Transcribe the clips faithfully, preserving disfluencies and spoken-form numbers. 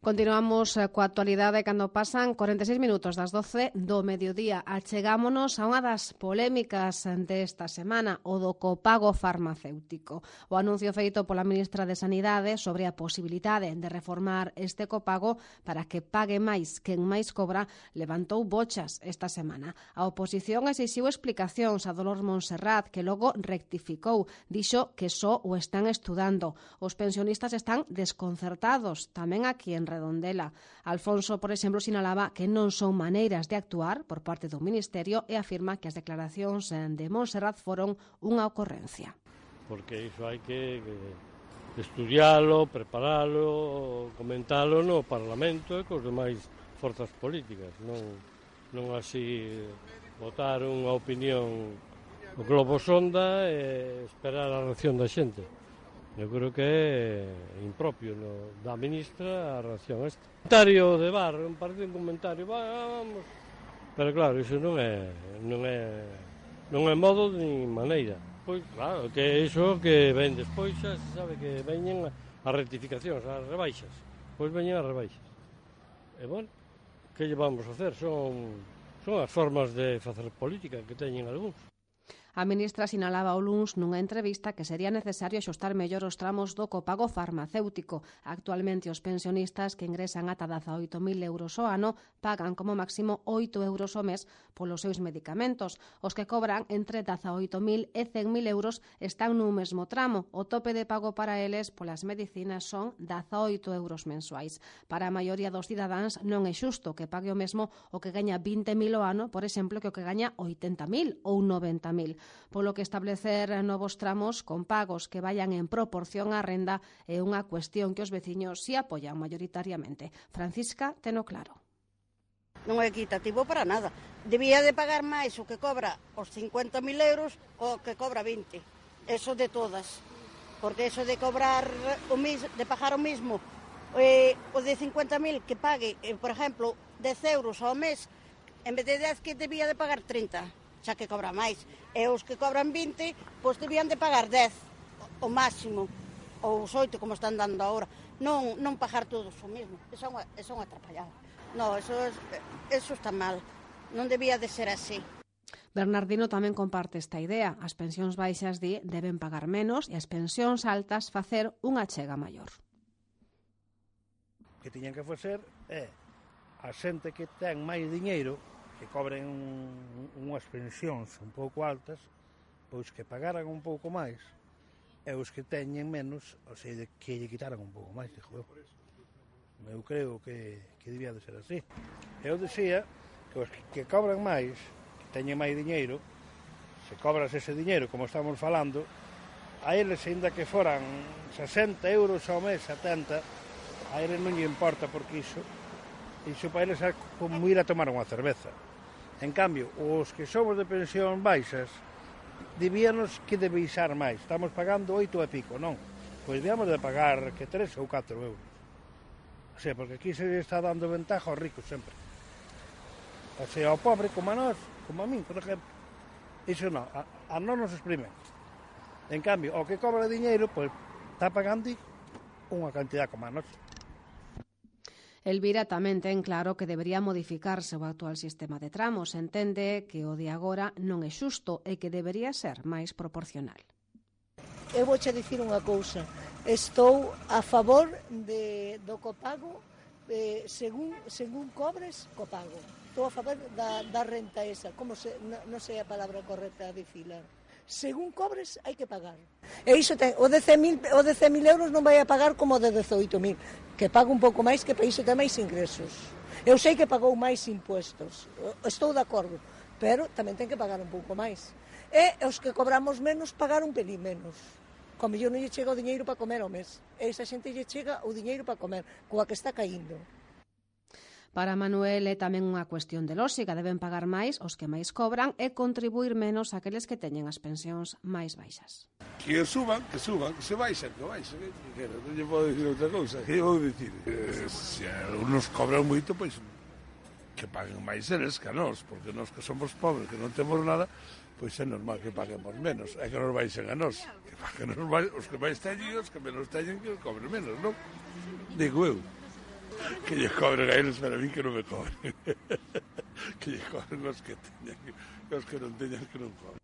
Continuamos coa actualidade cando pasan cuarenta e seis minutos das doce do mediodía. Achegámonos a unha das polémicas desta semana, o do copago farmacéutico. O anuncio feito pola ministra de Sanidade sobre a posibilidade de reformar este copago para que pague máis quen máis cobra levantou bochas esta semana. A oposición exixiu explicacións a Dolores Montserrat, que logo rectificou. Dixo que só o están estudando. Os pensionistas están desconcertados, tamén aquí en Redondela. Alfonso, por exemplo, sinalaba que non son maneiras de actuar por parte do Ministerio e afirma que as declaracións de Montserrat foron unha ocorrencia. Porque iso hai que estudialo, preparalo, comentalo no Parlamento e cos demais forzas políticas, non, non así votar unha opinión o globo sonda e esperar a reacción da xente. Eu creo que é impropio no, da ministra a reacción a este. Comentario de bar, un partido un comentario, vamos. Pero claro, iso non é non é non é modo ni maneira. Pois claro, que iso que ven despois xa se sabe que veñen as rectificacións, as rebaixas. Pois veñen as rebaixas. E bueno, que lle vamos a hacer? Son son as formas de facer política que teñen algúns. A ministra sinalaba o luns nunha entrevista que sería necesario axustar mellor os tramos do copago farmacéutico. Actualmente os pensionistas que ingresan ata dezaoito mil euros ao ano pagan como máximo oito euros ao mes polos seus medicamentos. Os que cobran entre dezaoito mil e cen mil euros están nun mesmo tramo. O tope de pago para eles polas medicinas son dezaoito euros mensuais. Para a maioría dos cidadáns non é xusto que pague o mesmo o que gaña vinte mil ao ano, por exemplo, que o que gaña oitenta mil ou noventa mil. Polo que establecer novos tramos con pagos que vayan en proporción á renda é unha cuestión que os veciños si apoian mayoritariamente. Francisca teno claro. Non é equitativo para nada. Debía de pagar máis o que cobra os cincuenta mil euros o que cobra vinte. Eso de todas. Porque eso de cobrar o mis, de pagar o mismo eh, o de cincuenta mil que pague, eh, por exemplo, dez euros ao mes, en vez de dez que debía de pagar trinta. Xa que cobra máis. E os que cobran vinte, pois debían de pagar dez, o máximo, ou os oito, como están dando agora. Non, non pagar todos o mesmo. Eso é unha, eso é unha atrapallada. Non, eso, eso está mal. Non debía de ser así. Bernardino tamén comparte esta idea. As pensións baixas di deben pagar menos e as pensións altas facer unha chega maior. O que tiñan que facer é a xente que ten máis diñeiro, que cobren unhas pensións un pouco altas, pois que pagaran un pouco máis, e os que teñen menos, ou sea, que lle quitaran un pouco máis, dixo eu. Eu creo que, que debía de ser así. Eu dicía que os que cobran máis, que teñen máis diñeiro, se cobras ese diñeiro, como estamos falando, a eles, ainda que foran sesenta euros ao mes, setenta, a eles non lle importa porque iso, iso para eles é como ir a tomar unha cerveza. En cambio, os que somos de pensión baixas, debíanos que de baixar máis. Estamos pagando oito e pico, non? Pois debíamos de pagar que tres ou catro euros. O sea, porque aquí se está dando ventaja aos ricos sempre. O sea, ao pobre como a nós, como a min, por exemplo. Iso non, a, a non nos exprimen. En cambio, o que cobra diñeiro, pois está pagando unha cantidad como a nós. Elvira tamén ten claro que debería modificarse o actual sistema de tramos. Entende que o de agora non é xusto e que debería ser máis proporcional. Eu vouche dicir unha cousa. Estou a favor de, do copago eh, según, según cobres, copago. Estou a favor da, da renta esa. Como se, non no sei a palabra correcta a dicila. Según cobres, hai que pagar. E iso ten, o de cen mil euros non vai a pagar como o de dezoito mil, que paga un pouco máis, que para iso ten máis ingresos. Eu sei que pagou máis impuestos, estou de acordo, pero tamén ten que pagar un pouco máis. E os que cobramos menos, pagar un pelín menos. Como yo non lle chega o diñeiro para comer ao mes, e esa xente lle chega o diñeiro para comer, coa que está caíndo. Para Manuel é tamén unha cuestión de lóxica, deben pagar máis os que máis cobran e contribuir menos aqueles que teñen as pensións máis baixas. Que suban, que suban, que se baixan, que baixan, que non lle podo dicir outra cousa, que vou dicir? Eh, se uns cobran moito, pois que paguen máis eles que a nós, porque nós que somos pobres, que non temos nada, pois é normal que paguemos menos, é que nos baixen a nós, que paguen os, os que máis teñen, os que menos teñen, que cobren menos, non? Digo eu. que lle cobren a eles, para mí que non me cobren. Que lle cobren os que teñan, os que non teñan que non cobren.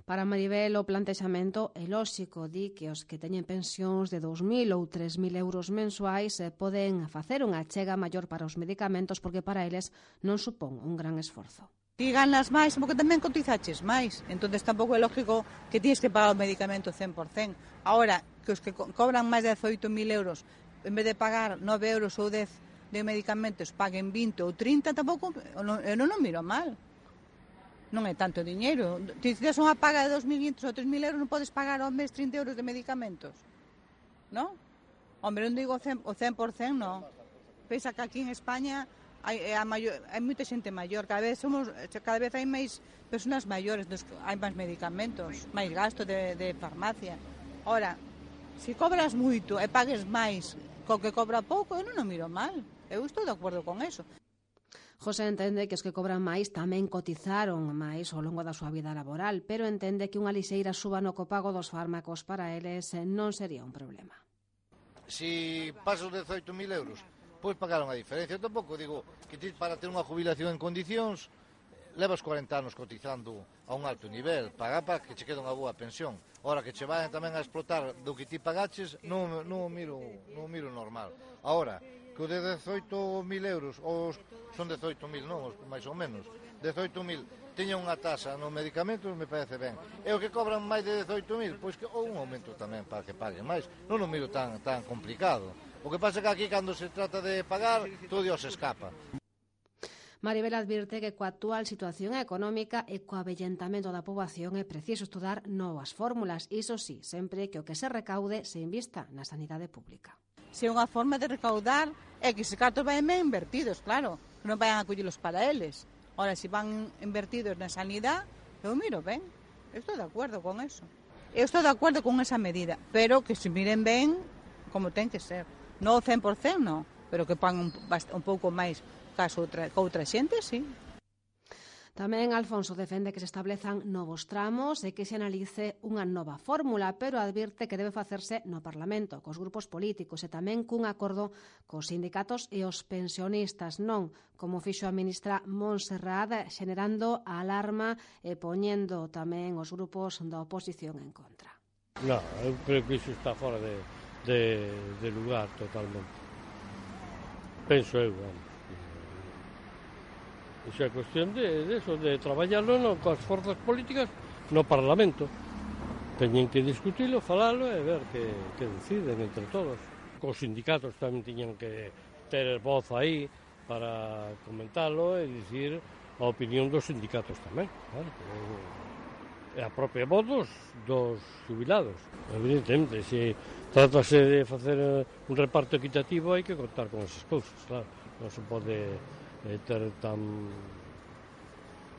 Para Maribel, o plantexamento é lóxico, di que os que teñen pensións de dous mil ou tres mil euros mensuais poden facer unha achega maior para os medicamentos porque para eles non supón un gran esforzo. Ti ganas máis porque tamén cotizaches máis, entón tampouco é lógico que tienes que pagar o medicamento cen por cen. Ahora, que os que co cobran máis de dezoito mil euros, en vez de pagar nove euros ou dez de medicamentos, paguen vinte ou trinta, tampouco, eu non, eu non o miro mal. Non é tanto diñeiro. Se tes unha paga de dos mil quinhentos ou tres mil euros, non podes pagar ao mes trinta euros de medicamentos. Non? Hombre, non digo o cen por cen, non. Pensa que aquí en España hai, a maior, hai moita xente maior. Cada vez somos, cada vez hai máis persoas maiores, hai máis medicamentos, máis gasto de, de farmacia. Ora, se cobras moito e pagues máis co que cobra pouco, eu non o miro mal. Eu estou de acordo con eso. José entende que os que cobran máis tamén cotizaron máis ao longo da súa vida laboral, pero entende que unha lixeira suba no copago dos fármacos para eles non sería un problema. Si pasas os dezoito mil euros, pois pagar unha diferencia. Eu tampouco digo que ti para ter unha jubilación en condicións levas corenta anos cotizando a un alto nivel, pagar para que che quede unha boa pensión. Ora que che vayan tamén a explotar do que ti pagaches, non, non, miro, non miro normal. Ahora, que o de dezoito mil euros, ou son dezoito mil, non, máis ou menos, dezoito mil, teña unha tasa no medicamento, me parece ben. E o que cobran máis de dezoito mil, pois que ou un aumento tamén para que paguen máis. Non o miro tan, tan complicado. O que pasa é que aquí, cando se trata de pagar, todo Dios escapa. Maribel advirte que coa actual situación económica e co avellentamento da poboación é preciso estudar novas fórmulas, iso sí, sempre que o que se recaude se invista na sanidade pública. Se é unha forma de recaudar é que se cartos vayan ben invertidos, claro, que non vayan a collelos para eles. Ora, se van invertidos na sanidade, eu miro ben, eu estou de acordo con eso. Eu estou de acordo con esa medida, pero que se miren ben como ten que ser. Non o cen por cen, non, pero que pan un, un pouco máis caso outra, que outra xente, sí. Tamén Alfonso defende que se establezan novos tramos e que se analice unha nova fórmula, pero advirte que debe facerse no Parlamento, cos grupos políticos e tamén cun acordo cos sindicatos e os pensionistas, non como fixo a ministra Montserrat, generando a alarma e poñendo tamén os grupos da oposición en contra. Non, eu creo que iso está fora de, de, de lugar totalmente. Penso eu, vamos. Iso é cuestión de, de eso, de traballarlo no, coas forzas políticas no Parlamento. Teñen que discutilo, falalo e ver que, que deciden entre todos. Os sindicatos tamén tiñan que ter voz aí para comentalo e dicir a opinión dos sindicatos tamén. Claro, e a propia voz dos, dos jubilados. Evidentemente, se tratase de facer un reparto equitativo hai que contar con esas cousas, claro. Non se pode eh, ter tan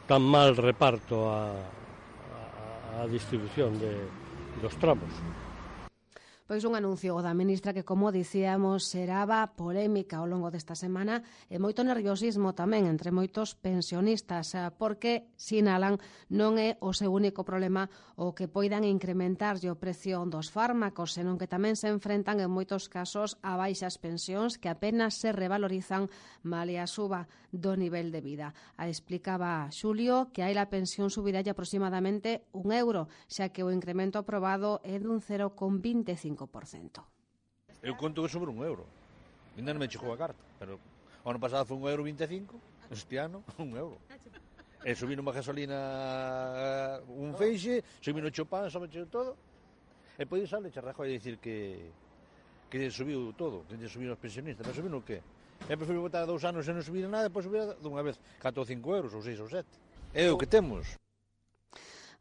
tan mal reparto a, a, a distribución de, dos tramos. Pois un anuncio da ministra que, como dicíamos, seraba polémica ao longo desta semana e moito nerviosismo tamén entre moitos pensionistas, porque, sinalan, non é o seu único problema o que poidan incrementarlle o precio dos fármacos, senón que tamén se enfrentan en moitos casos a baixas pensións que apenas se revalorizan malia a suba do nivel de vida. A explicaba Xulio que hai a pensión subidalle aproximadamente un euro, xa que o incremento aprobado é dun cero coma veinticinco por cento. Eu conto que sobre un euro. Ainda non me chegou a carta, pero o ano pasado foi un euro vinte e cinco, este ano un euro. E subir unha gasolina un feixe, subir no chopán, sobe todo. E podía salir Charrajo a dicir que que subiu todo, que subiu os pensionistas, pero subiu no que? É prefiro botar dous anos e non subir nada, depois subir dunha vez catro ou cinco euros, ou seis ou sete. É o que temos.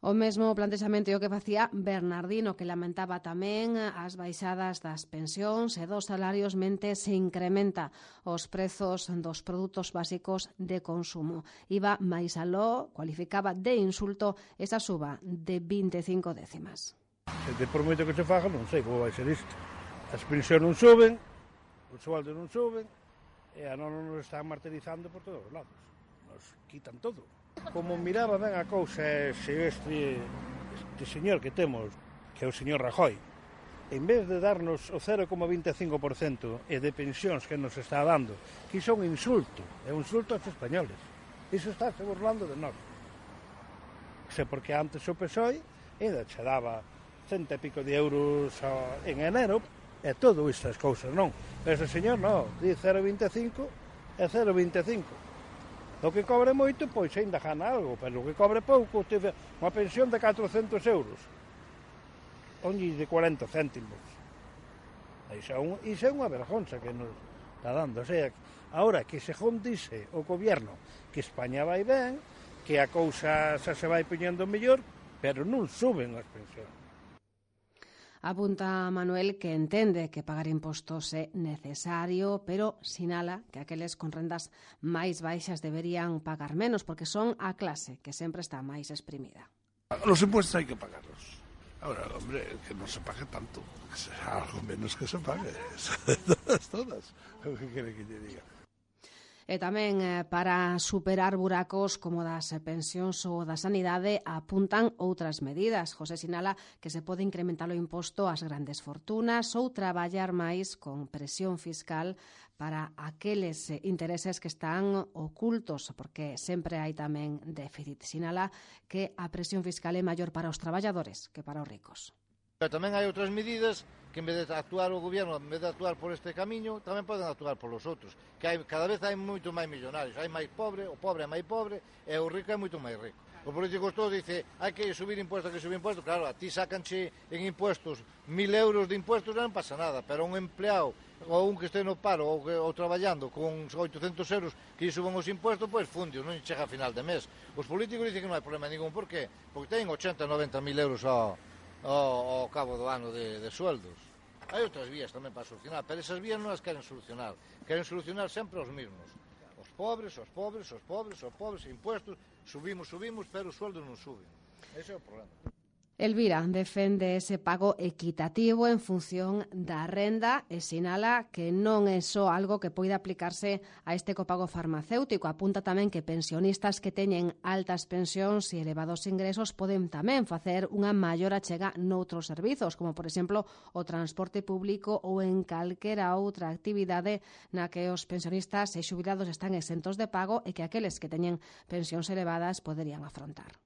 O mesmo plantexamento é o que facía Bernardino, que lamentaba tamén as baixadas das pensións e dos salarios mente se incrementa os prezos dos produtos básicos de consumo. Iba máis aló, cualificaba de insulto esa suba de vinte e cinco décimas. Se por moito que se faga, non sei como vai ser isto. As pensións non suben, os sueldos non suben, e a non nos están martirizando por todos os lados. Nos quitan todo. Como miraba ben a cousa, se este, este señor que temos, que é o señor Rajoy, en vez de darnos o cero coma vinte e cinco por cento e de pensións que nos está dando, que iso é un insulto, é un insulto aos españoles. Iso está se burlando de nós. Sei porque antes o P S O E ainda che daba cento e pico de euros en enero, e todo estas cousas, non. Ese señor non, di cero coma vinte e cinco e cero coma vinte e cinco. O que cobre moito, pois ainda gana algo, pero o que cobre pouco, tive unha pensión de catrocentos euros. Onlle de cuarenta céntimos. Iso é, un, iso é unha vergonza que nos está dando. O sea, ahora que según dice o gobierno que España vai ben, que a cousa xa se vai poñendo mellor, pero non suben as pensións. Apunta Manuel que entende que pagar impostos é necesario, pero sinala que aqueles con rendas máis baixas deberían pagar menos, porque son a clase que sempre está máis exprimida. Los impuestos hai que pagarlos. Ahora, hombre, que no se pague tanto, que sea algo menos que se pague. todas, todas. ¿Qué quiere que te diga? E tamén eh, para superar buracos como das pensións ou da sanidade apuntan outras medidas. José sinala que se pode incrementar o imposto ás grandes fortunas ou traballar máis con presión fiscal para aqueles intereses que están ocultos, porque sempre hai tamén déficit. Sinala que a presión fiscal é maior para os traballadores que para os ricos. Pero tamén hai outras medidas que en vez de actuar o goberno, en vez de actuar por este camiño, tamén poden actuar por los outros. Que hai, cada vez hai moito máis millonarios, hai máis pobre, o pobre é máis pobre e o rico é moito máis rico. O político todo dice, hai que subir impuestos, hai que subir impuestos. Claro, a ti sacanche en impuestos mil euros de impuestos non pasa nada, pero un empleado ou un que este no paro ou, que, ou traballando con oitocentos euros que lle suban os impuestos, pois fundios, non chega a final de mes. Os políticos dicen que non hai problema ningún, por qué? Porque ten ochenta, noventa mil euros ao, ao, ao cabo do ano de, de sueldos. Hai outras vías tamén para solucionar, pero esas vías non as queren solucionar. Queren solucionar sempre os mismos. Os pobres, os pobres, os pobres, os pobres, impuestos, subimos, subimos, pero os sueldos non suben. Ese é o problema. Elvira defende ese pago equitativo en función da renda e sinala que non é só algo que poida aplicarse a este copago farmacéutico. Apunta tamén que pensionistas que teñen altas pensións e elevados ingresos poden tamén facer unha maior achega noutros servizos, como por exemplo o transporte público ou en calquera outra actividade na que os pensionistas e xubilados están exentos de pago e que aqueles que teñen pensións elevadas poderían afrontar.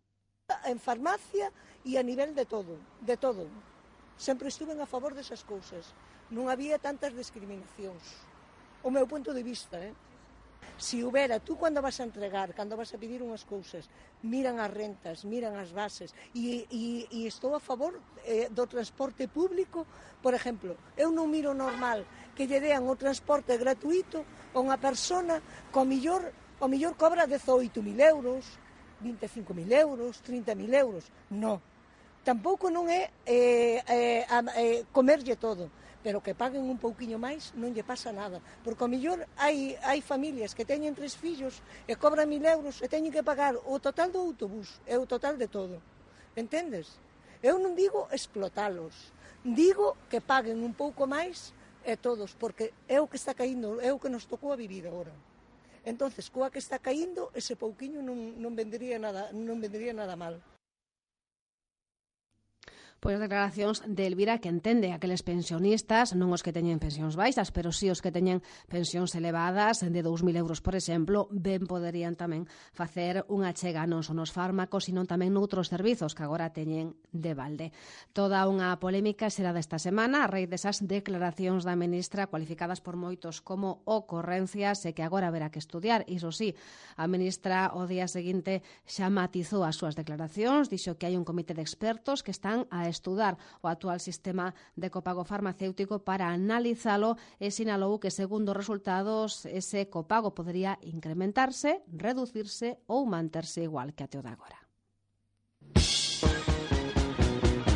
En farmacia e a nivel de todo, de todo. Sempre estuven a favor desas cousas. Non había tantas discriminacións. O meu punto de vista, eh? Si houbera, tú cando vas a entregar, cando vas a pedir unhas cousas, miran as rentas, miran as bases, e, e, e estou a favor eh, do transporte público. Por exemplo, eu non miro normal que lle dean o transporte gratuito a unha persona que ao millor, ao millor cobra dezoito mil euros, vinte e cinco mil euros, trinta mil euros. No. Tampouco non é eh, eh, eh, comerlle todo, pero que paguen un pouquiño máis non lle pasa nada. Porque ao mellor hai, hai familias que teñen tres fillos e cobran mil euros e teñen que pagar o total do autobús e o total de todo. Entendes? Eu non digo explotalos, digo que paguen un pouco máis e todos, porque é o que está caíndo, é o que nos tocou a vivir agora. Entonces, coa que está caíndo, ese pouquiño non, non vendría nada, non vendría nada mal. Pois as declaracións de Elvira que entende aqueles pensionistas, non os que teñen pensións baixas, pero sí os que teñen pensións elevadas de dous mil euros, por exemplo, ben poderían tamén facer unha chega non son os fármacos, sino tamén noutros servizos que agora teñen de balde. Toda unha polémica será desta semana a raíz desas declaracións da ministra cualificadas por moitos como ocorrencias e que agora haberá que estudiar. Iso sí, a ministra o día seguinte xa matizou as súas declaracións, dixo que hai un comité de expertos que están a estudar o actual sistema de copago farmacéutico para analizalo e sinalou que, segundo os resultados, ese copago podería incrementarse, reducirse ou manterse igual que até o de agora.